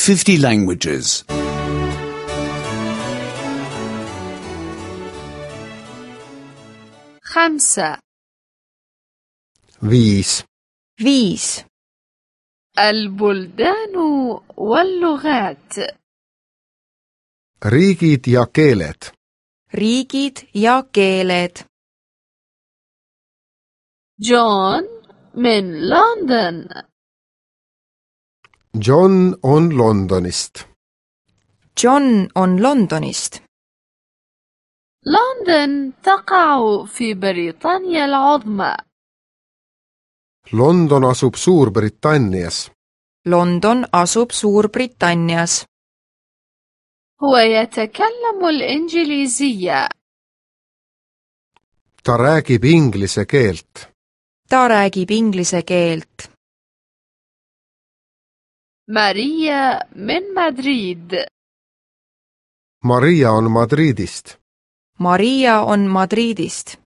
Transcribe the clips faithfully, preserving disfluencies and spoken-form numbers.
fifty languages. خمسة. viis, viis. البلدان واللغات. riigid ja keeled. riigid ja keeled. جون من لندن. John on Londonist. John on Londonist. لندن تقع في بريطانيا العظمى. London asub Suurbritannias. London asub Suurbritannias. هو يتكلم الإنجليزية. ta räägib inglise keelt. ta räägib inglise keelt. ماريا من مدريد. Maria on Madridist. Maria on Madridist.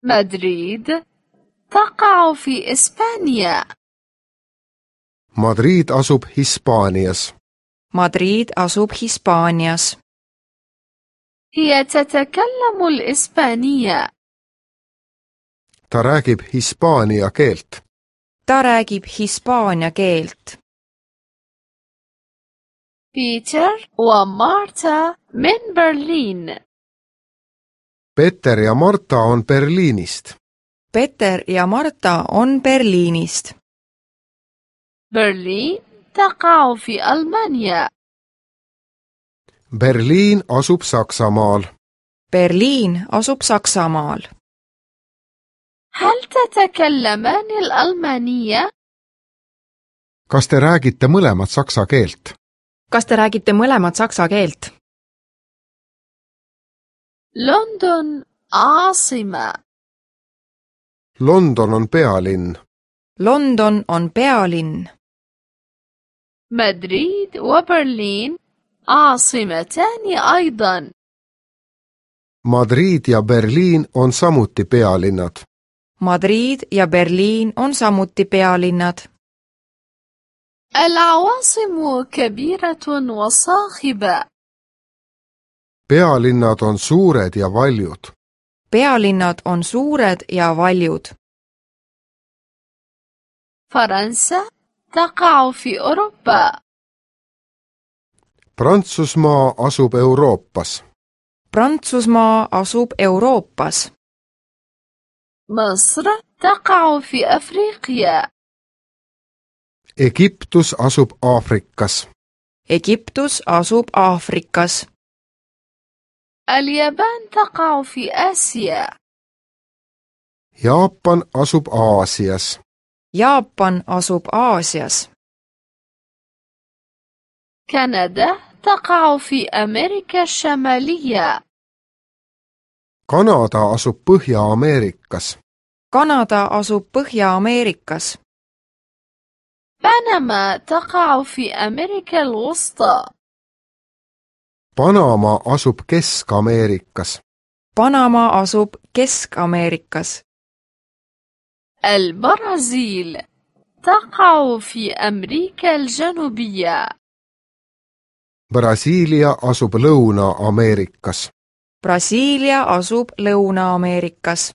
مدريد تقع في إسبانيا. Madrid asub Hispaanias. Madrid asub Hispaanias. هي تتكلم الإسبانية. ta räägib hispaania keelt. ta räägib hispaania keelt. بيتر ومارتا من برلين. Peter ja Marta on Berliinist. Peter ja Marta on Berliinist. برلين تقع في ألمانيا. Berliin asub Saksamaal. Berliin asub Saksamaal. هل تتكلمان الألمانية؟ kas te räägite mõlemat saksa keelt? kas te räägite mõlemat saksa keelt? لندن عاصمة. London on pealinn. London on pealinn. مدريد وبرلين عاصمتان أيضا. Madrid ja Berliin on samuti pealinnad. Madrid ja Berliin on samuti pealinnad. العواصم كبيرة وصاخبة. pealinnad on suured ja valjud. pealinnad on suured ja valjud. فرنسا تقع في أوروبا. Prantsusmaa asub Euroopas. Prantsusmaa asub Euroopas. مصر تقع في أفريقيا. Egiptus asub Aafrikas. Egiptus asub Aafrikas. اليابان تقع في آسيا. Jaapan asub Aasias. Jaapan asub Aasias. كندا تقع في أمريكا الشمالية. Kanada asub Põhja-Ameerikas. Kanada asub Põhja-Ameerikas. بنما تقع في أمريكا الوسطى. Panama asub Kesk-Ameerikas. Panama asub Kesk-Ameerikas. البرازيل تقع في أمريكا الجنوبية. Brasiilia asub Lõuna-Ameerikas. Brasiilia asub Lõuna-Ameerikas.